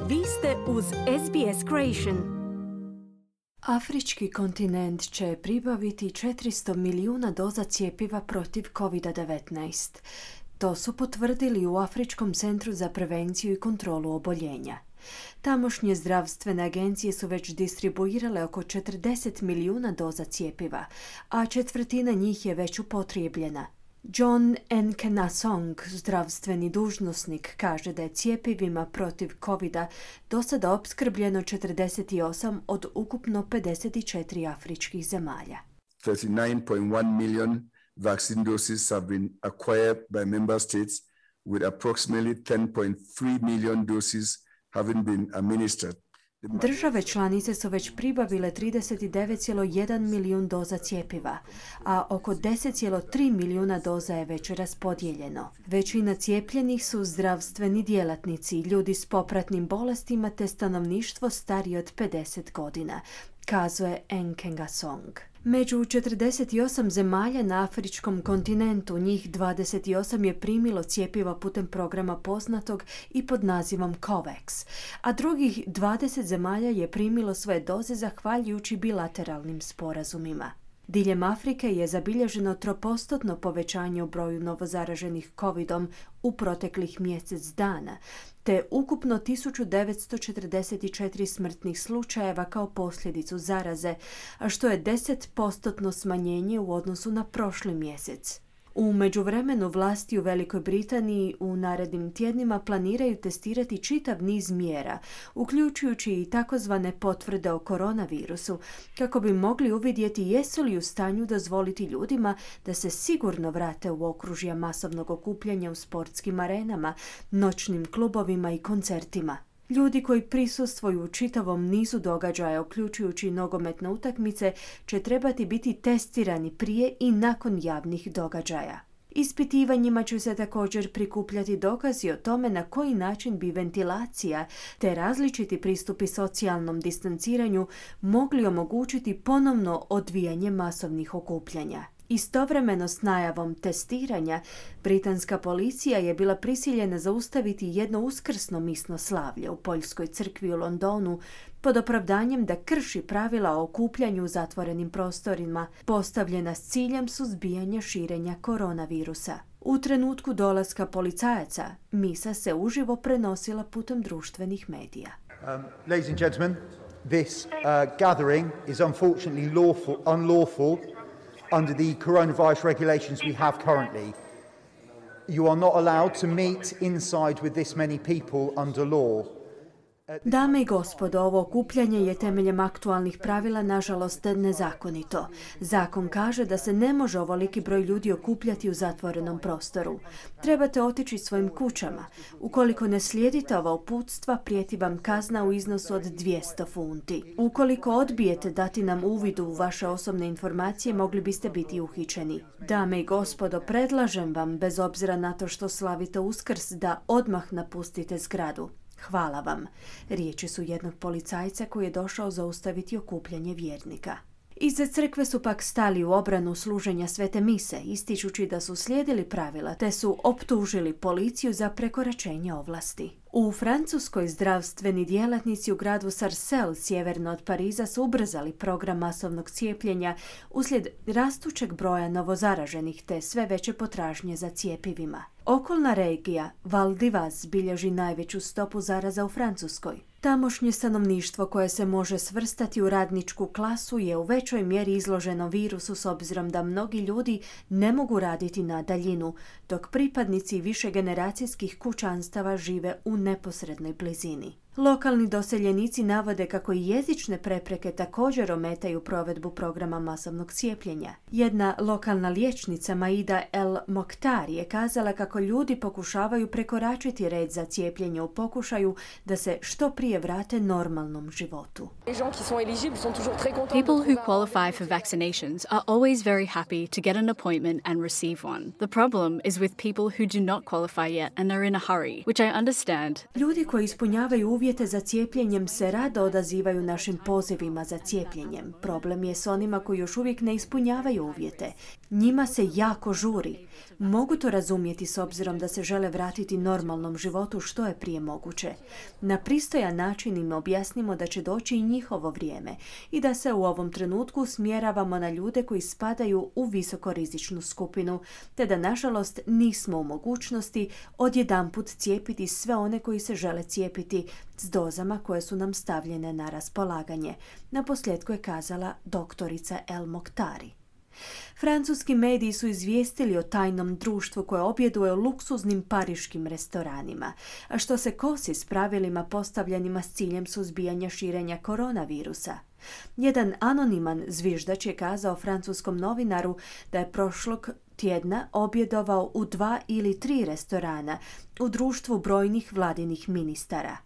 Vi ste uz SBS Creation. Afrički kontinent će pribaviti 400 milijuna doza cjepiva protiv COVID-19. To su potvrdili u Afričkom centru za prevenciju i kontrolu oboljenja. Tamošnje zdravstvene agencije su već distribuirale oko 40 milijuna doza cjepiva, a četvrtina njih je već upotrijebljena. John Nkengasong, zdravstveni dužnosnik, kaže da je cjepivima protiv COVID-a do sada opskrbljeno 48 od ukupno 54 afričkih zemalja. 39.1 million vaccine doses have been acquired by member states, with approximately 10.3 million doses having been administered. Države članice su već pribavile 39,1 milijun doza cjepiva, a oko 10,3 milijuna doza je već raspodijeljeno. Većina cijepljenih su zdravstveni djelatnici, ljudi s popratnim bolestima te stanovništvo starije od 50 godina, kazuje Nkengasong. Među 48 zemalja na afričkom kontinentu, njih 28 je primilo cjepiva putem programa poznatog i pod nazivom COVAX, a drugih 20 zemalja je primilo svoje doze zahvaljujući bilateralnim sporazumima. Diljem Afrike je zabilježeno 3% povećanje u broju novozaraženih COVID-om u proteklih mjesec dana, te ukupno 1944 smrtnih slučajeva kao posljedicu zaraze, a što je 10% smanjenje u odnosu na prošli mjesec. U međuvremenu vlasti u Velikoj Britaniji u narednim tjednima planiraju testirati čitav niz mjera, uključujući i takozvane potvrde o koronavirusu, kako bi mogli uvidjeti jesu li u stanju dozvoliti ljudima da se sigurno vrate u okružja masovnog okupljanja u sportskim arenama, noćnim klubovima i koncertima. Ljudi koji prisustvuju u čitavom nizu događaja, uključujući nogometne utakmice, će trebati biti testirani prije i nakon javnih događaja. Ispitivanjima će se također prikupljati dokazi o tome na koji način bi ventilacija te različiti pristupi socijalnom distanciranju mogli omogućiti ponovno odvijanje masovnih okupljanja. Istovremeno s najavom testiranja, britanska policija je bila prisiljena zaustaviti jedno uskrsno misno slavlje u Poljskoj crkvi u Londonu pod opravdanjem da krši pravila o okupljanju u zatvorenim prostorima, postavljena s ciljem suzbijanja širenja koronavirusa. U trenutku dolaska policajaca, misa se uživo prenosila putem društvenih medija. Ladies and gentlemen, this gathering is unfortunately unlawful under the coronavirus regulations we have currently. You are not allowed to meet inside with this many people under law. Dame i gospodo, ovo okupljanje je temeljem aktualnih pravila nažalost nezakonito. Zakon kaže da se ne može ovoliki broj ljudi okupljati u zatvorenom prostoru. Trebate otići svojim kućama. Ukoliko ne slijedite ova uputstva, prijeti vam kazna u iznosu od 200 funti. Ukoliko odbijete dati nam uvid u vaše osobne informacije, mogli biste biti uhićeni. Dame i gospodo, predlažem vam, bez obzira na to što slavite Uskrs, da odmah napustite zgradu. Hvala vam. Riječi su jednog policajca koji je došao zaustaviti okupljanje vjernika. Iza crkve su pak stali u obranu služenja svete mise, ističući da su slijedili pravila te su optužili policiju za prekoračenje ovlasti. U Francuskoj zdravstveni djelatnici u gradu Sarcelles, sjeverno od Pariza, su ubrzali program masovnog cijepljenja uslijed rastućeg broja novozaraženih te sve veće potražnje za cjepivima. Okolna regija Val d'Ivaz bilježi najveću stopu zaraza u Francuskoj. Tamošnje stanovništvo koje se može svrstati u radničku klasu je u većoj mjeri izloženo virusu s obzirom da mnogi ljudi ne mogu raditi na daljinu, dok pripadnici višegeneracijskih kućanstava žive u neposrednoj blizini. Lokalni doseljenici navode kako i jezične prepreke također ometaju provedbu programa masovnog cijepljenja. Jedna lokalna liječnica, Maida El Mokhtar, je kazala kako ljudi pokušavaju prekoračiti red za cijepljenje u pokušaju da se što prije vrate normalnom životu. People who qualify for vaccinations are always very happy to get an appointment and receive one. The problem is with people who do not qualify yet and are in a hurry, which I understand. Ljudi koji ispunjavaju uvjete za cijepljenjem se rado odazivaju našim pozivima za cijepljenjem. Problem je s onima koji još uvijek ne ispunjavaju uvjete. Njima se jako žuri. Mogu to razumjeti s obzirom da se žele vratiti normalnom životu što je prije moguće. Na pristojan način im objasnimo da će doći i njihovo vrijeme i da se u ovom trenutku usmjeravamo na ljude koji spadaju u visokorizičnu skupinu, te da nažalost nismo u mogućnosti odjedanput cijepiti sve one koji se žele cijepiti s dozama koje su nam stavljene na raspolaganje. Naposljetku je kazala doktorica El Mokhtari. Francuski mediji su izvijestili o tajnom društvu koje objeduje u luksuznim pariškim restoranima, a što se kosi s pravilima postavljenima s ciljem suzbijanja širenja koronavirusa. Jedan anoniman zviždač je kazao francuskom novinaru da je prošlog tjedna objedovao u 2 ili 3 restorana u društvu brojnih vladinih ministara.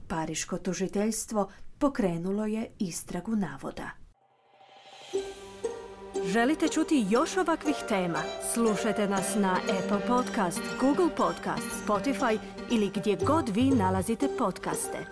Pariško tužiteljstvo pokrenulo je istragu navoda. Želite čuti još ovakvih tema? Slušajte nas na Apple Podcast, Google Podcast, Spotify ili gdje god vi nalazite podcaste.